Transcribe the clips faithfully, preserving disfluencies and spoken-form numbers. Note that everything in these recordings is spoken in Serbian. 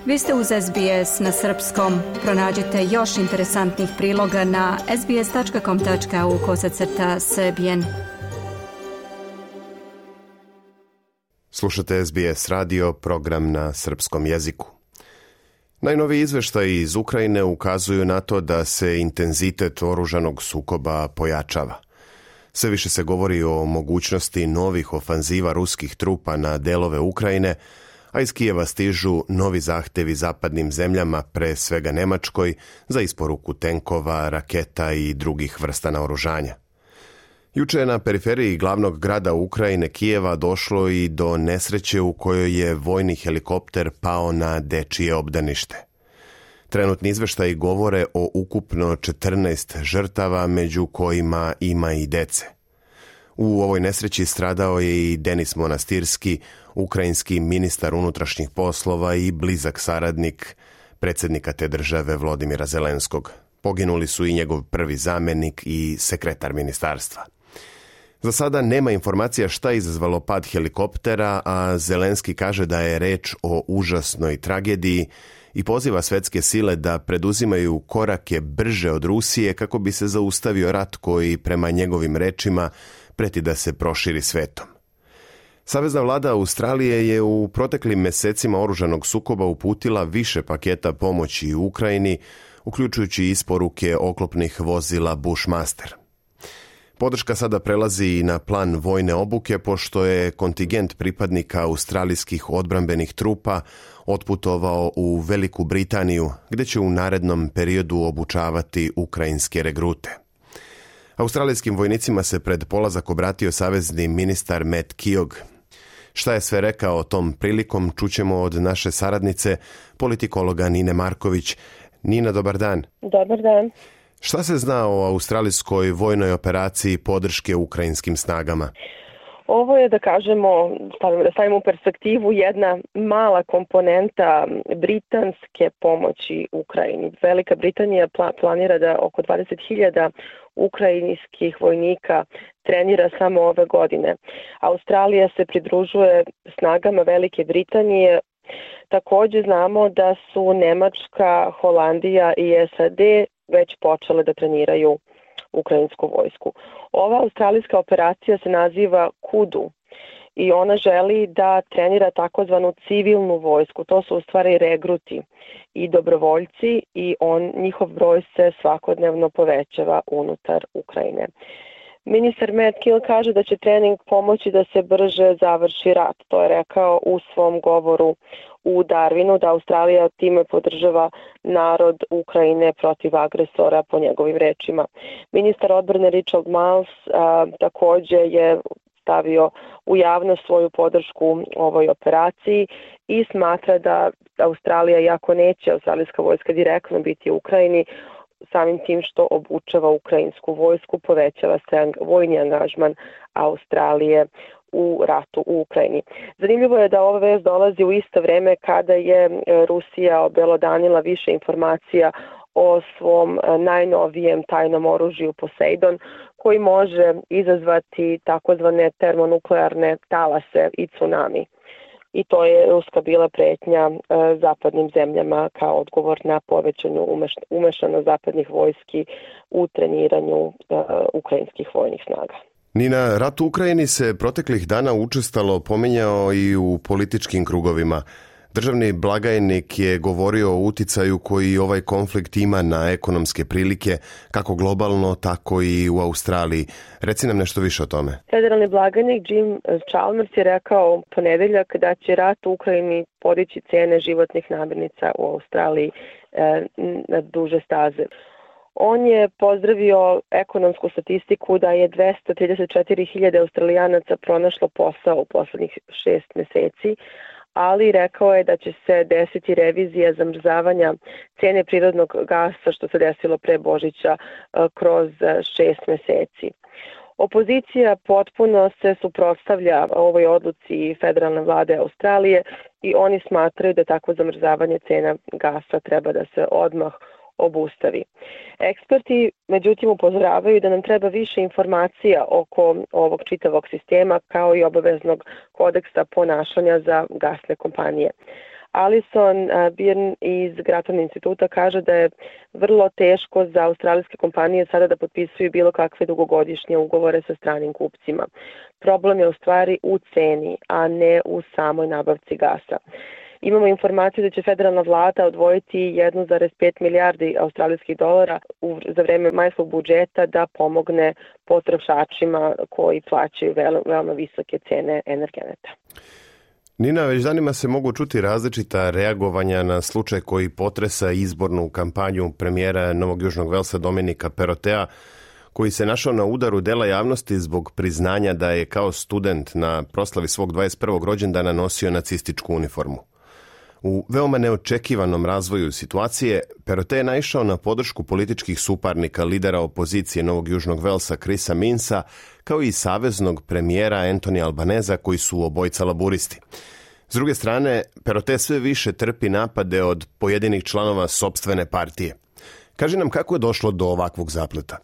Vi ste uz S B S na srpskom. Pronađite još interesantnih priloga na sbs.com.au kosacrta srbijen. Slušate S B S radio, program na srpskom jeziku. Najnoviji izveštaji iz Ukrajine ukazuju na to da se intenzitet oružanog sukoba pojačava. Sve više se govori o mogućnosti novih ofanziva ruskih trupa na delove Ukrajine, a iz Kijeva stižu novi zahtevi zapadnim zemljama, pre svega Nemačkoj, za isporuku tenkova, raketa i drugih vrsta naoružanja. Juče je na periferiji glavnog grada Ukrajine, Kijeva, došlo i do nesreće u kojoj je vojni helikopter pao na dečije obdanište. Trenutni izveštaji govore o ukupno četrnaest žrtava, među kojima ima i dece. U ovoj nesreći stradao je i Denis Monastirski, ukrajinski ministar unutrašnjih poslova i blizak saradnik predsjednika te države Volodymyra Zelenskog. Poginuli su i njegov prvi zamjenik i sekretar ministarstva. Za sada nema informacija šta je izazvalo pad helikoptera, a Zelenski kaže da je reč o užasnoj tragediji i poziva svetske sile da preduzimaju korake brže od Rusije kako bi se zaustavio rat koji, prema njegovim rečima, preti da se proširi svetom. Savezna vlada Australije je u proteklim mesecima oružanog sukoba uputila više paketa pomoći u Ukrajini, uključujući isporuke oklopnih vozila Bushmaster. Podrška sada prelazi i na plan vojne obuke, pošto je kontingent pripadnika australijskih odbrambenih trupa otputovao u Veliku Britaniju, gdje će u narednom periodu obučavati ukrajinske regrute. Australijskim vojnicima se pred polazak obratio savezni ministar Matt Keogh. Šta je sve rekao tom prilikom, čućemo od naše saradnice, politikologa Nine Marković. Nina, dobar dan. Dobar dan. Šta se zna o australijskoj vojnoj operaciji podrške ukrajinskim snagama? Ovo je, da kažemo, da stavimo u perspektivu, jedna mala komponenta britanske pomoći Ukrajini. Velika Britanija planira da oko dvadeset hiljada ukrajinskih vojnika trenira samo ove godine. Australija se pridružuje snagama Velike Britanije. Također znamo da su Nemačka, Holandija i S A D već počele da treniraju ukrajinsku vojsku. Ova australijska operacija se naziva Kudu i ona želi da trenira takozvanu civilnu vojsku. To su u stvari regruti i dobrovoljci i on, njihov broj se svakodnevno povećava unutar Ukrajine. Ministar Matt Keogh kaže da će trening pomoći da se brže završi rat. To je rekao u svom govoru u Darwinu, da Australija time podržava narod Ukrajine protiv agresora, po njegovim rečima. Ministar odbrane Richard Marles a, također je stavio u javnost svoju podršku ovoj operaciji i smatra da Australija, iako neće australijska vojska direktno biti u Ukrajini, samim tim što obučava ukrajinsku vojsku, povećava se vojni angažman Australije u ratu u Ukrajini. Zanimljivo je da ova vest dolazi u isto vrijeme kada je Rusija obelodanila više informacija o svom najnovijem tajnom oružju Poseidon, koji može izazvati takozvane termonuklearne talase i tsunami. I to je ruska bila pretnja e, zapadnim zemljama kao odgovor na povećanju umeš, umešanost zapadnih vojski u treniranju e, ukrajinskih vojnih snaga. Nina, rat u Ukrajini se proteklih dana učestalo pominjao i u političkim krugovima. Državni blagajnik je govorio o uticaju koji ovaj konflikt ima na ekonomske prilike, kako globalno, tako i u Australiji. Reci nam nešto više o tome. Federalni blagajnik Jim Chalmers je rekao u ponedeljak da će rat u Ukrajini podići cene životnih namirnica u Australiji e, na duže staze. On je pozdravio ekonomsku statistiku da je dvesta trideset četiri hiljade Australijanaca pronašlo posao u poslednjih šest meseci, ali rekao je da će se desiti revizija zamrzavanja cene prirodnog gasa, što se desilo pre Božića, kroz šest meseci. Opozicija potpuno se suprotstavlja ovoj odluci federalne vlade Australije i oni smatraju da takvo zamrzavanje cena gasa treba da se odmah obustavi. Eksperti, međutim, upozoravaju da nam treba više informacija oko ovog čitavog sistema, kao i obaveznog kodeksa ponašanja za gasne kompanije. Alison Byrne iz Grattan instituta kaže da je vrlo teško za australijske kompanije sada da potpisuju bilo kakve dugogodišnje ugovore sa stranim kupcima. Problem je u stvari u ceni, a ne u samoj nabavci gasa. Imamo informaciju da će federalna vlada odvojiti jedan zarez pet milijardi australijskih dolara u, za vreme majskog budžeta da pomogne potrošačima koji plaćaju veoma, veoma visoke cene energenata. Nina, već danima se mogu čuti različita reagovanja na slučaj koji potresa izbornu kampanju premijera Novog Južnog Velsa Dominika Perottea, koji se našao na udaru dela javnosti zbog priznanja da je kao student na proslavi svog dvadeset prvog rođendana nosio nacističku uniformu. U veoma neočekivanom razvoju situacije, Perottea je naišao na podršku političkih suparnika lidera opozicije Novog Južnog Velsa Chrisa Minsa, kao i saveznog premijera Anthony Albaneza, koji su obojica laburisti. S druge strane, Perottea sve više trpi napade od pojedinih članova sopstvene partije. Kaži nam kako je došlo do ovakvog zapleta.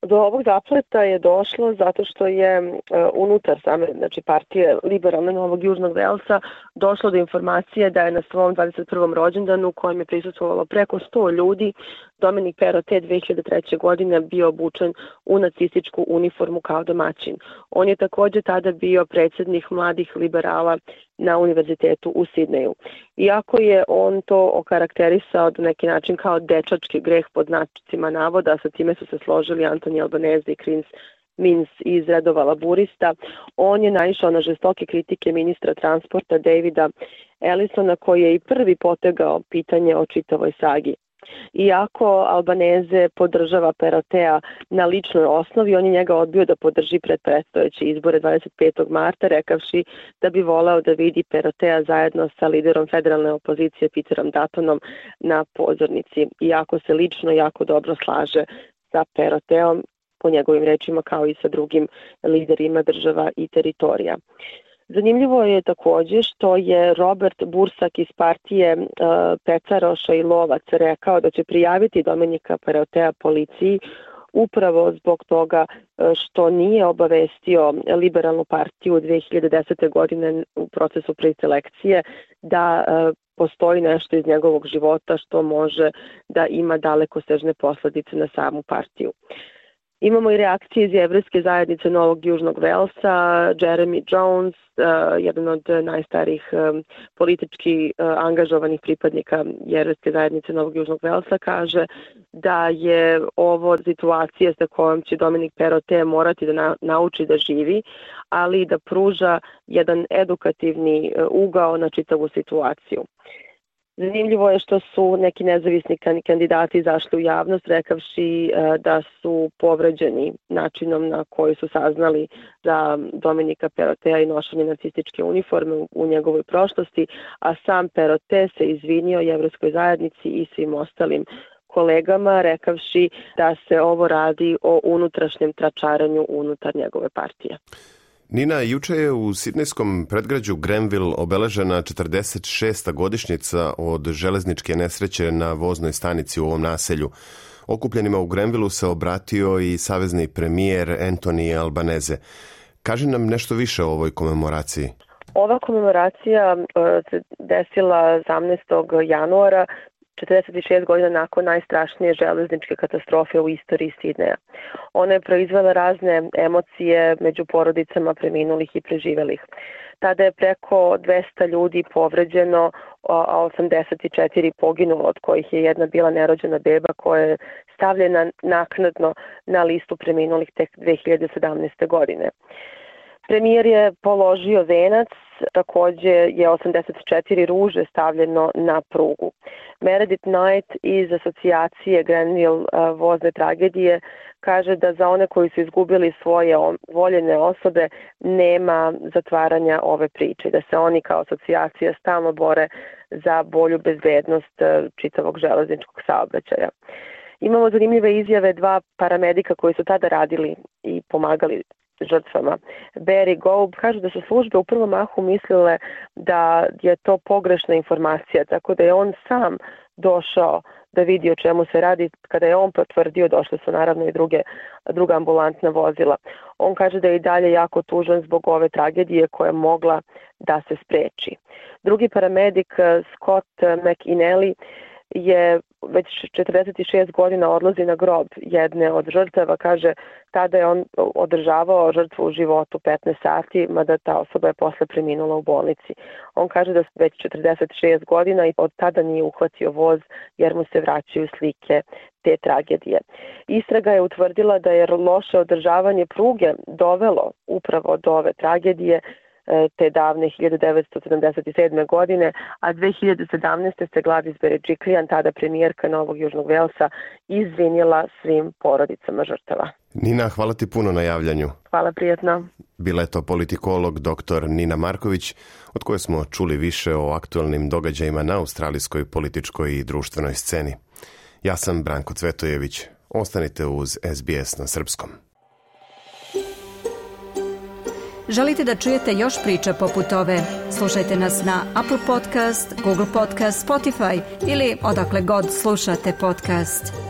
Do ovog zapleta je došlo zato što je uh, unutar same znači, partije liberalne Novog Južnog Velsa došlo do informacije da je na svom dvadeset prvom rođendanu, kojem je prisustvovalo preko sto ljudi, Dominik Perottea dve hiljade treće. godine bio obučen u nacističku uniformu kao domaćin. On je također tada bio predsjednik mladih liberala na univerzitetu u Sidneju. Iako je on to okarakterisao na neki način kao dečački greh pod znacima navoda, sa time su se složili Anthony Albanese i Chris Minns iz redova laburista, on je naišao na žestoke kritike ministra transporta Davida Ellisona, koji je i prvi potegao pitanje o čitavoj sagi. Iako Albanese podržava Perottea na ličnoj osnovi, on je njega odbio da podrži pred predstojeće izbore dvadeset petog marta, rekavši da bi voleo da vidi Perottea zajedno sa liderom federalne opozicije Peterom Duttonom na pozornici, iako se lično jako dobro slaže sa Perotteom, po njegovim rečima, kao i sa drugim liderima država i teritorija. Zanimljivo je također što je Robert Bursak iz partije uh, Pecaroša i Lovac rekao da će prijaviti Dominika Perottea policiji upravo zbog toga što nije obavestio liberalnu partiju dve hiljade desete. godine u procesu preselekcije da uh, postoji nešto iz njegovog života što može da ima dalekosežne posljedice na samu partiju. Imamo i reakcije iz jevrejske zajednice Novog Južnog Velsa. Jeremy Jones, uh, jedan od najstarijih um, politički uh, angažovanih pripadnika jevrejske zajednice Novog Južnog Velsa, kaže da je ovo situacija sa kojom će Dominik Perottea morati da na, nauči da živi, ali da pruža jedan edukativni uh, ugao na čitavu situaciju. Zanimljivo je što su neki nezavisni kandidati izašli u javnost rekavši da su povređeni načinom na koji su saznali za Dominika Perottea i nošenje nacističke uniforme u njegovoj prošlosti, a sam Perottea se izvinio jevrejskoj zajednici i svim ostalim kolegama, rekavši da se ovo radi o unutrašnjem tračaranju unutar njegove partije. Nina, juče je u sidnejskom predgrađu Grenville obeležena četrdeset šesta godišnjica od železničke nesreće na voznoj stanici u ovom naselju. Okupljenima u Grenvilleu se obratio i savezni premijer Anthony Albanese. Kaži nam nešto više o ovoj komemoraciji. Ova komemoracija se desila osamnaestog januara, četrdeset šest godina nakon najstrašnije železničke katastrofe u istoriji Sidneja. Ona je proizvela razne emocije među porodicama preminulih i preživelih. Tada je preko dvesta ljudi povređeno, a osamdeset četiri poginulo, od kojih je jedna bila nerođena beba koja je stavljena naknadno na listu preminulih tek dve hiljade sedamnaeste. godine. Premijer je položio venac, također je osamdeset četiri ruže stavljeno na prugu. Meredith Knight iz asocijacije Grenville vozne tragedije kaže da za one koji su izgubili svoje voljene osobe nema zatvaranja ove priče, da se oni kao asocijacija stalno bore za bolju bezbednost čitavog železničkog saobraćaja. Imamo zanimljive izjave dva paramedika koji su tada radili i pomagali žrtvama. Barry Goub kaže da su službe u prvom mahu mislile da je to pogrešna informacija, tako da je on sam došao da vidi o čemu se radi. Kada je on potvrdio, došle su naravno i druge, druga ambulantna vozila. On kaže da je i dalje jako tužan zbog ove tragedije koja je mogla da se spreči. Drugi paramedik, Scott McInally, je već četrdeset šest godina odlazi na grob jedne od žrtava. Kaže, tada je on održavao žrtvu u životu petnaest sati, mada ta osoba je posle preminula u bolnici. On kaže da već četrdeset šest godina i od tada nije uhvatio voz jer mu se vraćaju slike te tragedije. Istraga je utvrdila da je loše održavanje pruge dovelo upravo do ove tragedije te davne hiljade devetsto sedamdeset sedme. godine, a dve hiljade sedamnaeste. se Gladys Berejiklian, tada premijerka Novog Južnog Velsa, izvinila svim porodicama žrtava. Nina, hvala ti puno na javljanju. Hvala, prijatno. Bila je to politikolog doktor Nina Marković, od koje smo čuli više o aktualnim događajima na australijskoj političkoj i društvenoj sceni. Ja sam Branko Cvetojević. Ostanite uz S B S na srpskom. Želite da čujete još priča poput ove? Slušajte nas na Apple Podcast, Google Podcast, Spotify ili odakle god slušate podcast.